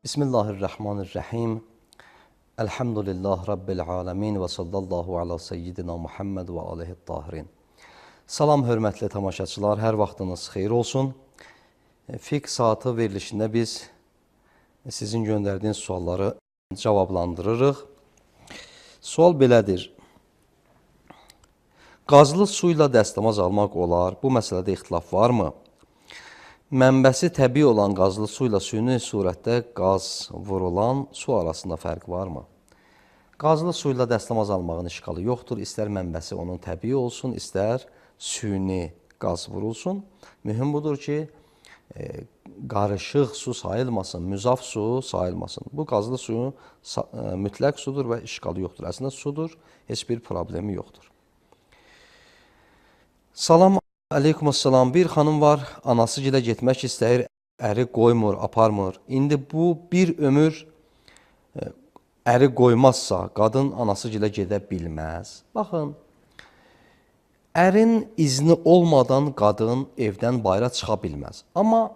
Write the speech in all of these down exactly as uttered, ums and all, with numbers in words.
Bismillahirrahmanirrahim. Elhamdülillah Rabbil alemin və sallallahu ala seyyidina Muhammed və aleyhi tahirin. Salam, hörmətli tamaşaçılar, hər vaxtınız xeyir olsun. Fiqh saatı verilişində biz sizin göndərdiyiniz sualları cavablandırırıq. Sual belədir. Qazlı su ilə dəstəmaz almaq olar. Bu məsələdə ixtilaf varmı? Mənbəsi təbii olan qazlı su ilə süni surətdə qaz vurulan su arasında fərq varmı? Qazlı su ilə dəstəmaz almağın işğalı yoxdur. İstər mənbəsi onun təbii olsun, istər süni qaz vurulsun. Mühüm budur ki, e, qarışıq su sayılmasın, müzaf su sayılmasın. Bu qazlı suyu e, mütləq sudur və işğalı yoxdur. Əslində sudur, heç bir problemi yoxdur. Salam. Aleykümselam. Bir xanım var, anası gilə getmək istəyir, əri qoymur, aparmır. İndi bu bir ömür əri qoymazsa, qadın anası gilə gedə bilməz. Baxın, ərin izni olmadan qadın evdən bayıra çıxa bilməz. Amma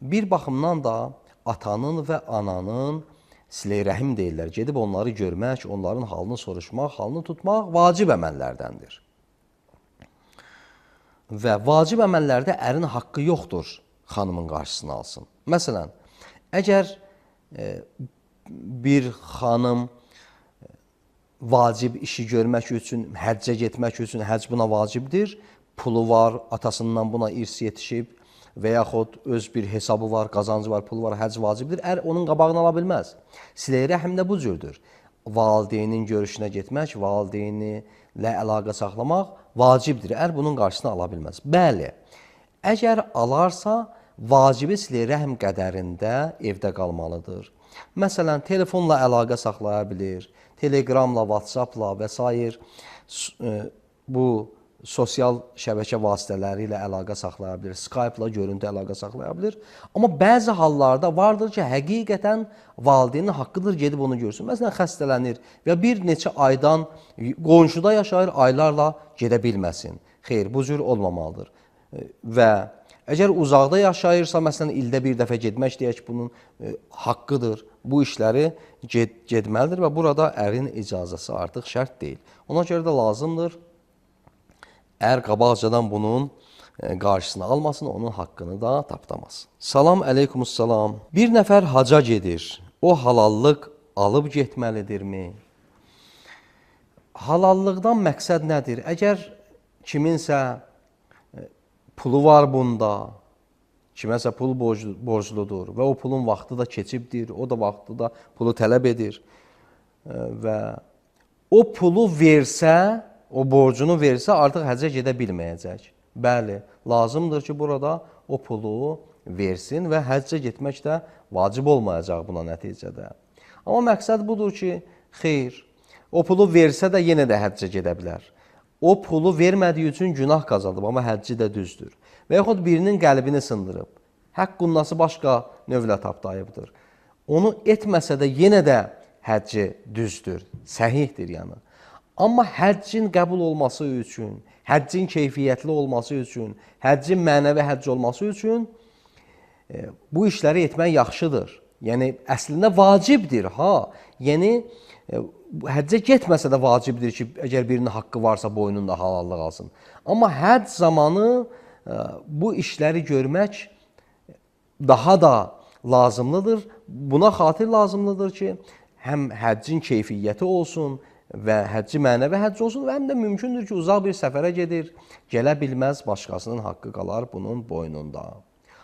bir baxımdan da atanın və ananın silə-i rəhim deyirlər. Gedib onları görmək, onların halını soruşmaq, halını tutmaq vacib əməllərdəndir. Və vacib əməllərdə ərin haqqı yoxdur xanımın qarşısını alsın. Məsələn, əgər e, bir xanım vacib işi görmək üçün, həccə getmək üçün, həcc buna vacibdir, pulu var, atasından buna irs yetişib və yaxud öz bir hesabı var, qazancı var, pulu var, həcc vacibdir, ər onun qabağını ala bilməz. Silə-i rəhim də bu cürdür. Valideynin görüşünə getmək, valideyni ilə əlaqə saxlamaq vacibdir. Ər bunun qarşısını ala bilməz. Bəli, əgər alarsa, vacibi silə-i rəhm qədərində evdə qalmalıdır. Məsələn, telefonla əlaqə saxlaya bilir, telegramla, WhatsAppla və s. bu sosial şəbəkə vasitələri ilə əlaqə saxlaya bilir, Skype-la görüntü əlaqə saxlaya bilir. Amma bəzi hallarda vardır ki, həqiqətən valideynin haqqıdır gedib onu görsün. Məsələn, xəstələnir və bir neçə aydan qonşuda yaşayır, aylarla gedə bilməsin. Xeyr, bu cür olmamalıdır. Və əgər uzaqda yaşayırsa, məsələn, ildə bir dəfə getmək deyək, bunun e, haqqıdır. Bu işləri ged gedməlidir və burada ərin icazəsi artıq şərt deyil. Ona görə də lazımdır, ər qabaqcadan bunun qarşısını almasın, onun haqqını da tapdamasın. Salam, aleykümselam. Bir nəfər haca gedir. O halallıq alıb getməlidirmi? Halallıqdan məqsəd nədir? Əgər kiminsə pulu var bunda, kiməsə pul borcludur və o pulun vaxtı da keçibdir, o da vaxtı da pulu tələb edir və o pulu versə, o borcunu versə, artıq həccə gedə bilməyəcək. Bəli, lazımdır ki, burada o pulu versin və həccə getmək də vacib olmayacaq buna nəticədə. Amma məqsəd budur ki, xeyr, o pulu versə də yenə də həccə gedə bilər. O pulu vermədiyi üçün günah qazanıb, amma həcci də düzdür. Və yaxud birinin qəlbini sındırıb, haqq qunnası başqa növlə tapdayıbdır. Onu etməsə də yenə də həcci düzdür, səhihdir yəni. Amma həccin qəbul olması üçün, həccin keyfiyyətli olması üçün, həccin mənəvi həcc olması üçün e, bu işləri etmək yaxşıdır. Yəni, əslində vacibdir, ha. Yəni, e, həccə getməsə də vacibdir ki, əgər birinin haqqı varsa boynunda halallıq alsın. Amma həcc zamanı e, bu işləri görmək daha da lazımlıdır. Buna xatir lazımlıdır ki, həm həccin keyfiyyəti olsun, və həcci mənəvi həcc olsun və həm də mümkündür ki, uzaq bir səfərə gedir, gələ bilməz, başqasının haqqı qalar bunun boynunda.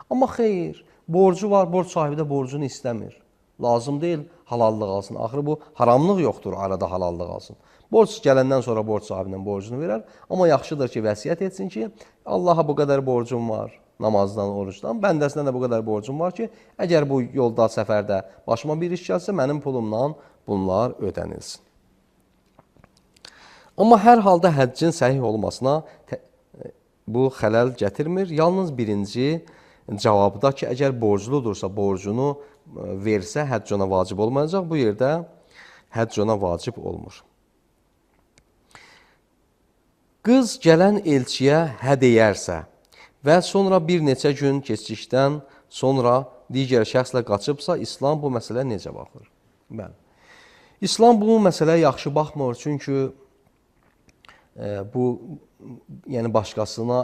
Amma xeyr, borcu var, borc sahibi də borcunu istəmir. Lazım deyil, halallıq alsın. Axırı bu, haramlıq yoxdur, arada halallıq alsın. Borc gələndən sonra borc sahibinin borcunu verər, amma yaxşıdır ki, vəsiyyət etsin ki, Allaha bu qədər borcum var, namazdan, orucdan, bəndəsindən də bu qədər borcum var ki, əgər bu yolda, səfərdə başıma bir iş gəlsə, mənim pulumdan bunlar ödənilsin. Amma hər halda həccin səhih olmasına bu xələl gətirmir. Yalnız birinci cavabda ki, əgər borcludursa, borcunu versə, həcc ona vacib olmayacaq. Bu yerdə həcc ona vacib olmur. Qız gələn elçiyə hə deyərsə və sonra bir neçə gün keçdikdən sonra digər şəxslə qaçıbsa, İslam bu məsələyə necə baxır? Bəli. İslam bu məsələyə yaxşı baxmır, çünki e, bu yəni başqasına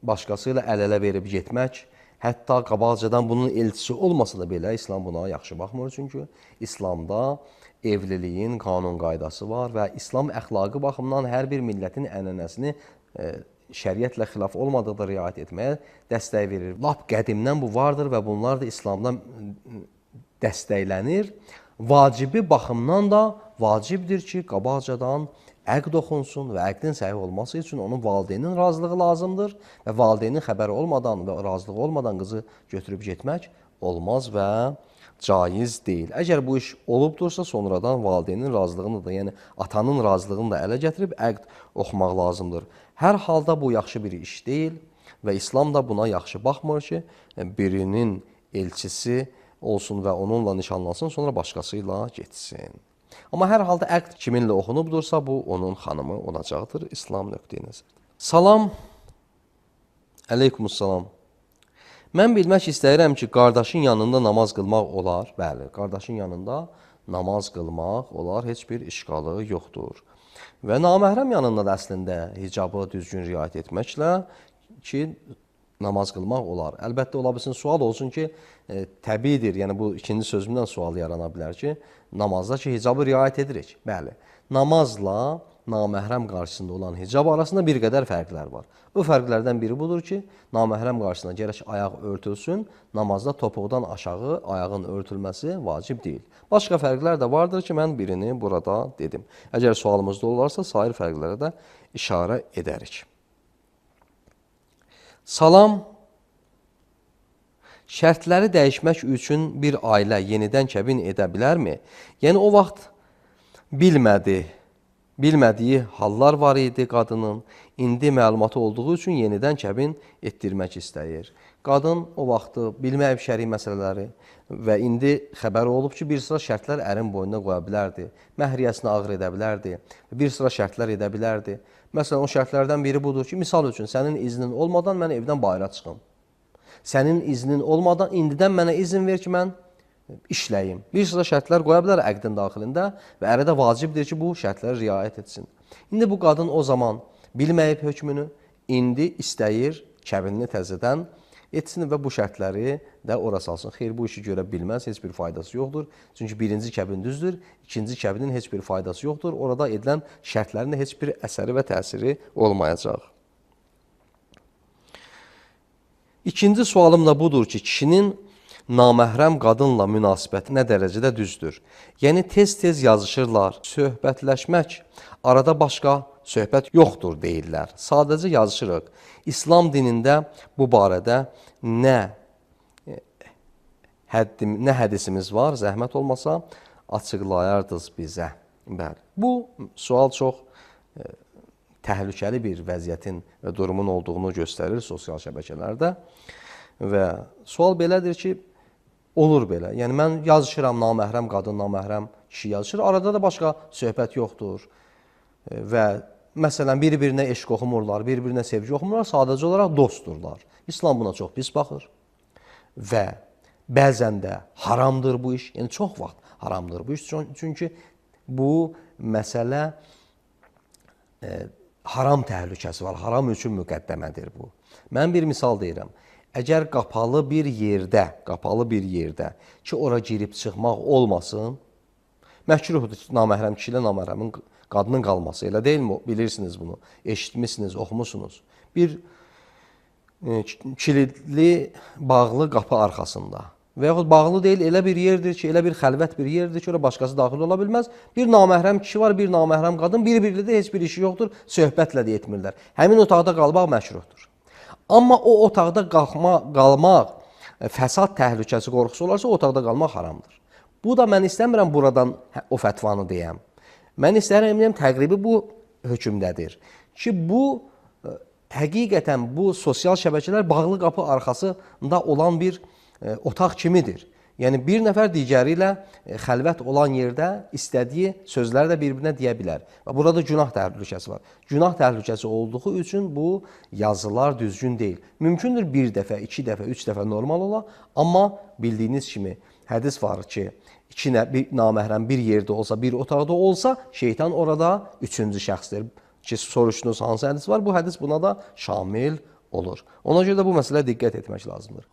başqası ilə əl-ələ verib getmək, hətta qabaqcadan bunun elçisi olmasa da belə İslam buna yaxşı baxmır, çünki İslamda evliliyin qanun qaydası var və İslam əxlaqı baxımından hər bir millətin ənənəsini e, şəriətlə xilaf olmadıqda riayət etməyə dəstək verir. Lap qədimdən bu vardır və bunlar da İslamdan dəstəklənir. Vacibi baxımdan da vacibdir ki, qabaqcadan əqd oxunsun və əqdin səhih olması üçün onun valideynin razılığı lazımdır və valideynin xəbəri olmadan və razılığı olmadan qızı götürüb getmək olmaz və caiz deyil. Əgər bu iş olubdursa, sonradan valideynin razılığını da, yəni atanın razılığını da ələ gətirib əqd oxumaq lazımdır. Hər halda bu yaxşı bir iş deyil və İslam da buna yaxşı baxmır ki, birinin elçisi olsun və onunla nişanlansın, sonra başqası ilə getsin. Amma hər halda əqd kiminlə oxunubdursa, bu onun xanımı olacaqdır İslam nöqteyi nəzərdən. Salam, əleykumussalam. Mən bilmək istəyirəm ki, qardaşın yanında namaz qılmaq olar. Bəli, qardaşın yanında namaz qılmaq olar, heç bir işqalı yoxdur. Və naməhrəm yanında da əslində hicabı düzgün riayət etməklə ki, namaz qılmaq olar. Əlbəttə, ola bilsin, sual olsun ki, e, təbiidir, yəni bu ikinci sözümdən sual yarana bilər ki, namazda ki, hicabı riayət edirik. Bəli, namazla naməhrəm qarşısında olan hicab arasında bir qədər fərqlər var. Bu fərqlərdən biri budur ki, naməhrəm qarşısında gərək ayaq örtülsün, namazda topuqdan aşağı ayağın örtülməsi vacib deyil. Başqa fərqlər də vardır ki, mən birini burada dedim. Əgər sualımızda olarsa, sair fərqlərə də işarə edərik. Salam, şərtləri dəyişmək üçün bir ailə yenidən kəbin edə bilərmi? Yəni, o vaxt bilmədi, bilmədiyi hallar var idi qadının, indi məlumatı olduğu üçün yenidən kəbin etdirmək istəyir. Qadın o vaxtı bilməyib şəri məsələləri və indi xəbəri olub ki, bir sıra şərtlər ərin boynuna qoya bilərdi, məhriyəsini ağır edə bilərdi, bir sıra şərtlər edə bilərdi. Məsələn, o şərtlərdən biri budur ki, misal üçün, sənin iznin olmadan mən evdən bayıra çıxım. Sənin iznin olmadan indidən mənə izin ver ki, mən işləyim. Bir sıra şərtlər qoya bilər əqdin daxilində və ərə də vacibdir ki, bu şərtlərə riayət etsin. İndi bu qadın o zaman bilməyib hökmünü, indi istəyir kəbinini təzədən etsin və bu şərtləri də ora salsın. Xeyr, bu işi görə bilməz, heç bir faydası yoxdur. Çünki birinci kəbin düzdür, ikinci kəbinin heç bir faydası yoxdur. Orada edilən şərtlərin heç bir əsəri və təsiri olmayacaq. İkinci sualım da budur ki, kişinin naməhrəm qadınla münasibəti nə dərəcədə düzdür? Yəni, tez-tez yazışırlar, söhbətləşmək, arada başqa söhbət yoxdur deyirlər. Sadəcə yazışırıq. İslam dinində bu barədə nə, həddim, nə hədisimiz var, zəhmət olmasa açıqlayardınız bizə. Bəli. Bu sual çox e, təhlükəli bir vəziyyətin və durumun olduğunu göstərir sosial şəbəkələrdə. Və sual belədir ki, olur belə. Yəni, mən yazışıram, naməhrəm qadın, naməhrəm kişi yazışır. Arada da başqa söhbət yoxdur. E, və məsələn, bir-birinə eşq oxumurlar, bir-birinə sevgi oxumurlar, sadəcə olaraq dostdurlar. İslam buna çox pis baxır və bəzən də haramdır bu iş, yəni çox vaxt haramdır bu iş, çünki bu məsələ e, haram təhlükəsi var, haram üçün müqəddəmədir bu. Mən bir misal deyirəm, əgər qapalı bir yerdə, qapalı bir yerdə ki, ora girib çıxmaq olmasın, məhkruhdur ki, naməhrəm kişi ilə naməhrəmin qadının qalması, elə deyilmi? Bilirsiniz bunu, eşitmişsiniz, oxumusunuz. Bir e, kilidli, bağlı qapı arxasında və yaxud bağlı deyil, elə bir yerdir ki, elə bir xəlvət bir yerdir ki, ora başqası daxil ola bilməz. Bir naməhrəm kişi var, bir naməhrəm qadın, bir-birli də heç bir işi yoxdur, söhbətlə də etmirlər. Həmin otaqda qalmaq məşruhdur. Amma o otaqda qalma, qalmaq, fəsad təhlükəsi qorxusu olarsa, o otaqda qalmaq haramdır. Bu da mən istəmirəm buradan o fətvanı deyəm. Mən istəyirəm, təqribi bu hökmdədir ki, bu həqiqətən bu sosial şəbəkələr bağlı qapı arxasında olan bir e, otaq kimidir. Yəni bir nəfər digəri ilə xəlvət olan yerdə istədiyi sözləri də bir-birinə deyə bilər. Və burada günah təhlükəsi var. Günah təhlükəsi olduğu üçün bu yazılar düzgün deyil. Mümkündür bir dəfə, iki dəfə, üç dəfə normal ola, amma bildiyiniz kimi hədis var ki, iki bir naməhrəm bir yerdə olsa, bir otaqda olsa, şeytan orada üçüncü şəxsdir. Ki, soruşdunuz hansı hədis var? Bu hədis buna da şamil olur. Ona görə də bu məsələyə diqqət etmək lazımdır.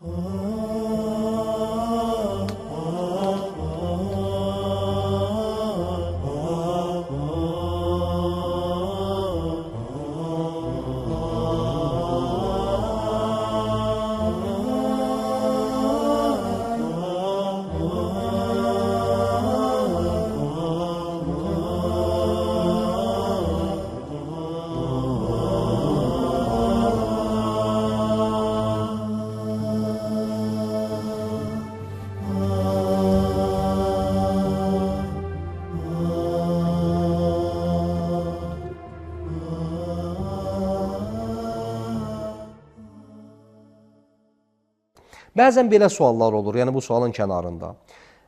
Bəzən belə suallar olur, yəni bu sualın kənarında.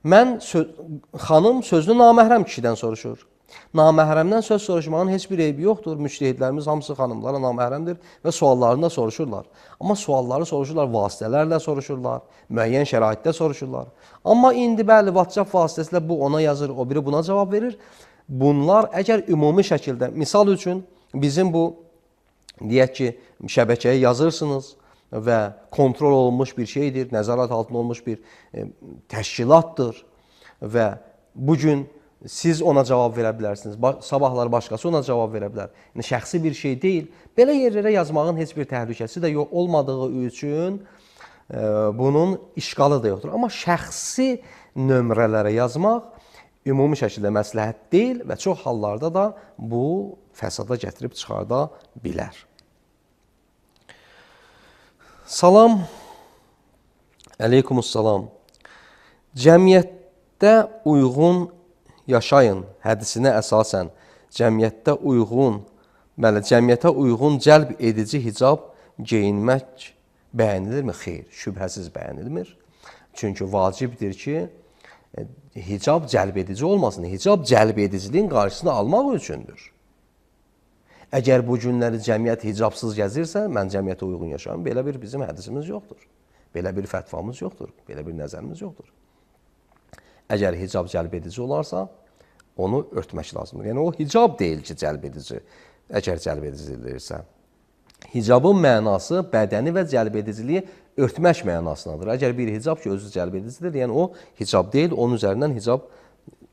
Mən, sö xanım sözünü naməhrəm kişidən soruşur. Naməhrəmdən söz soruşmağın heç bir eybi yoxdur. Müştəhidlərimiz hamısı xanımlara naməhrəmdir və suallarını da soruşurlar. Amma sualları soruşurlar, vasitələrlə soruşurlar, müəyyən şəraitdə soruşurlar. Amma indi bəli, WhatsApp vasitəsilə bu ona yazır, o biri buna cavab verir. Bunlar əgər ümumi şəkildə, misal üçün bizim bu, deyək ki, şəbəkəyə yazırsınız və kontrol olunmuş bir şeydir, nəzarət altında olmuş bir e, təşkilatdır və bugün siz ona cavab verə bilərsiniz, sabahlar başqası ona cavab verə bilər. Yəni, şəxsi bir şey deyil. Belə yerlərə yazmağın heç bir təhlükəsi də yox olmadığı üçün e, bunun işqalı da yoxdur. Amma şəxsi nömrələrə yazmaq ümumi şəkildə məsləhət deyil və çox hallarda da bu fəsada gətirib çıxarda bilər. Salam, əleykumussalam. Cəmiyyətdə uyğun yaşayın hədisinə əsasən cəmiyyətdə uyğun, bəli, cəmiyyətə uyğun cəlb edici hicab geyinmək bəyənilirmi? Xeyr, şübhəsiz bəyənilmir. Çünki vacibdir ki, hicab cəlb edici olmasın. Hicab cəlb ediciliyin qarşısını almaq üçündür. Əgər bu günləri cəmiyyət hicabsız gəzirsə, mən cəmiyyətə uyğun yaşayım. Belə bir bizim hədisimiz yoxdur. Belə bir fətvamız yoxdur. Belə bir nəzərimiz yoxdur. Əgər hicab cəlb edici olarsa, onu örtmək lazımdır. Yəni, o hicab deyil ki, cəlb edici, əgər cəlb edicilirsə. Hicabın mənası bədəni və cəlb ediciliyi örtmək mənasındadır. Əgər bir hicab ki, özü cəlb edicidir, yəni o hicab deyil, onun üzərindən hicab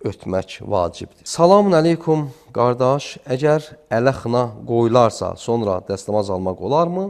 örtmək vacibdir. Salamun əleykum, qardaş. Əgər ələ xına qoyularsa, sonra dəstəmaz almaq olarmı?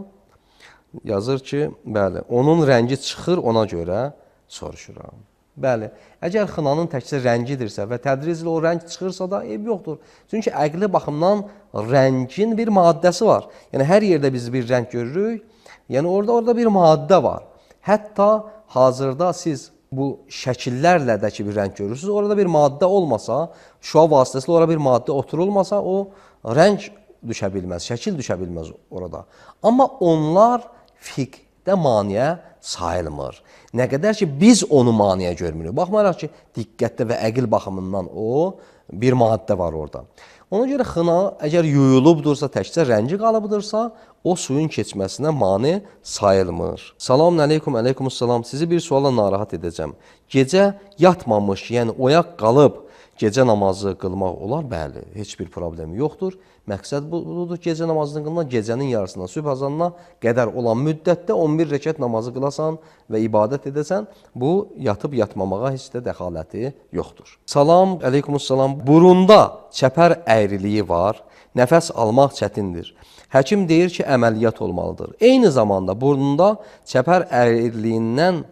Yazır ki, bəli, onun rəngi çıxır, ona görə soruşuram. Bəli, əgər xınanın təkcə rəngidirsə və tədriclə o rəng çıxırsa da eyb yoxdur. Çünki əqli baxımdan rəngin bir maddəsi var. Yəni, hər yerdə biz bir rəng görürük, yəni orada orada bir maddə var. Hətta hazırda siz bu şəkillərlə də ki, bir rəng görürsünüz, orada bir maddə olmasa, şua vasitəsilə orada bir maddə oturulmasa, o rəng düşə bilməz, şəkil düşə bilməz orada. Amma onlar fiqhdə maniyə sayılmır. Nə qədər ki, biz onu maniyə görmürük. Baxmayaraq ki, diqqətdə və əqil baxımından o bir maddə var orada. Ona görə xına əgər yuyulubdursa, təkcə rəngi qalıbdırsa, o suyun keçməsinə mane sayılmır. Salamun əleykum, əleykumussalam. Sizi bir suala narahat edəcəm. Gecə yatmamış, yəni oyaq qalıb gecə namazı qılmaq olar? Bəli, heç bir problemi yoxdur. Məqsəd budur, gecə namazını qılmaq, gecənin yarısından sübh azanına qədər olan müddətdə on bir rəkət namazı qılasan və ibadət edəsən, bu yatıb yatmamağa heç də dəxaləti yoxdur. Salam, əleykumussalam. Burunda çəpər əyriliyi var, nəfəs almaq çətindir. Həkim deyir ki, əməliyyat olmalıdır. Eyni zamanda burnunda çəpər əyriliyindən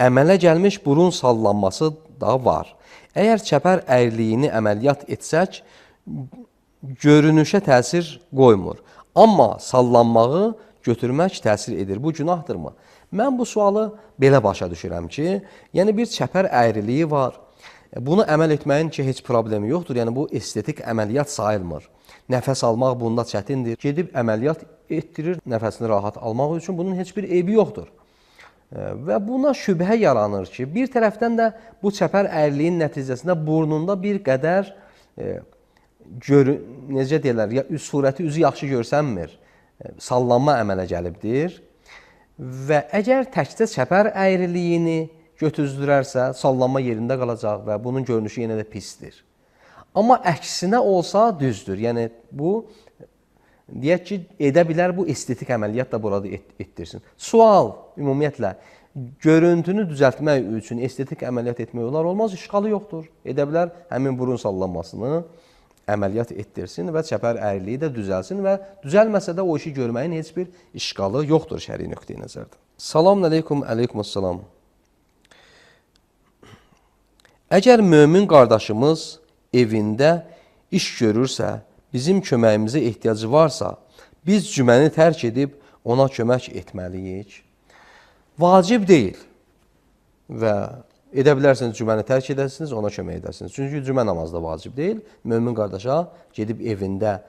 əmələ gəlmiş burun sallanması da var. Əgər çəpər əyriliyini əməliyyat etsək, görünüşə təsir qoymur. Amma sallanmağı götürmək təsir edir. Bu günahdırmı? Mən bu sualı belə başa düşürəm ki, yəni bir çəpər əyriliyi var. Bunu əməl etməyin ki, heç problemi yoxdur. Yəni bu estetik əməliyyat sayılmır. Nəfəs almaq bunda çətindir. Gedib əməliyyat etdirir, nəfəsini rahat almaq üçün bunun heç bir eybi yoxdur. Və buna şübhə yaranır ki, bir tərəfdən də bu çəpər əyriliyin nəticəsində burnunda bir qədər e, gör, necə deyirlər, ya, surəti üzü yaxşı görsənmir, e, sallanma əmələ gəlibdir. Və əgər təkcə çəpər əyriliyini götüzdürərsə, sallanma yerində qalacaq və bunun görünüşü yenə də pisdir. Amma əksinə olsa düzdür. Yəni bu deyək ki, edə bilər bu estetik əməliyyat da burada et, etdirsin. Sual ümumiyyətlə görüntünü düzəltmək üçün estetik əməliyyat etmək olar, olmaz, işğalı yoxdur. Edə bilər həmin burun sallanmasını əməliyyat etdirsin və çəpər əyriliyi də düzəlsin və düzəlməsə də o işi görməyin heç bir işğalı yoxdur şəri nöqteyi nəzərdən. Salam əleykum, əleykumussalam. Əgər mömin qardaşımız evində iş görürsə, bizim köməyimizə ehtiyacı varsa, biz cüməni tərk edib ona kömək etməliyik. Vacib deyil və edə bilərsiniz, cüməni tərk edəsiniz, ona kömək edəsiniz. Çünki cümə namazı da vacib deyil. Mömin qardaşa gedib evində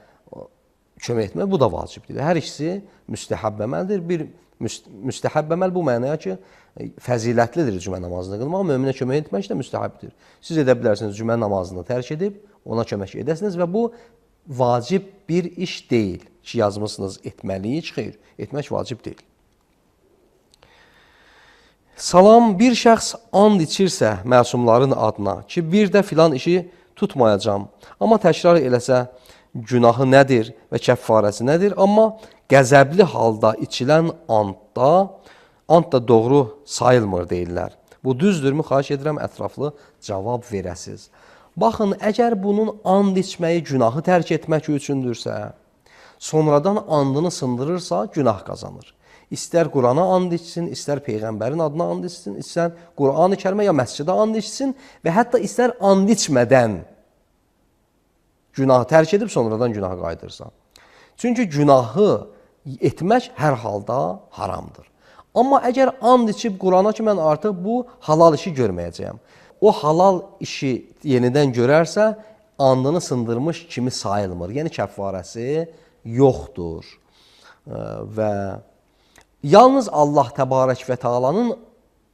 kömək etmək, bu da vacib deyil. Hər ikisi müstəhəbb əməldir. Bir müstəhəbb əməl bu mənaya ki, fəzilətlidir cümə namazını qılmaq, möminə kömək etmək də müstəhəbdir. Siz edə bilərsiniz, cümə namazını tərk edib ona kömək edəsiniz və bu vacib bir iş deyil ki, yazmışsınız etməliyik, xeyr, etmək vacib deyil. Salam, bir şəxs and içirsə məsumların adına ki, bir də filan işi tutmayacam, amma təkrar eləsə günahı nədir və kəffarəsi nədir? Amma qəzəbli halda içilən andda, and da doğru sayılmır deyirlər. Bu düzdürmü? Xahiş edirəm, ətraflı cavab verəsiz. Baxın, əgər bunun and içməyi günahı tərk etmək üçündürsə, sonradan andını sındırırsa, günah qazanır. İstər Qurana and içsin, istər Peyğəmbərin adına and içsin, istər Quran-ı Kərimə ya məscidə and içsin və hətta istər and içmədən günahı tərk edib sonradan günah qaydırsa. Çünki günahı etmək hər halda haramdır. Amma əgər and içib Qurana ki, mən artıq bu halal işi görməyəcəyəm, o halal işi yenidən görərsə, andını sındırmış kimi sayılmır. Yəni, kəffarəsi yoxdur. Və yalnız Allah Təbarək və Teala'nın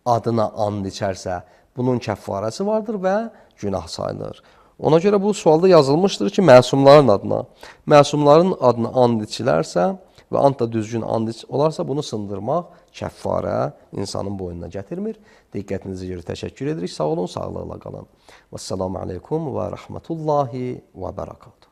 adına and içərsə, bunun kəffarəsi vardır və günah sayılır. Ona görə bu sualda yazılmışdır ki, məsumların adına, məsumların adına and içilərsə və and da düzgün and olarsa, bunu sındırmaq kəffarə insanın boynuna gətirmir. Diqqətinizi görə təşəkkür edirik. Sağ olun, sağlıqla qalın. Vəssalamu aleykum və rəhmətullahi və bərəkatuhu.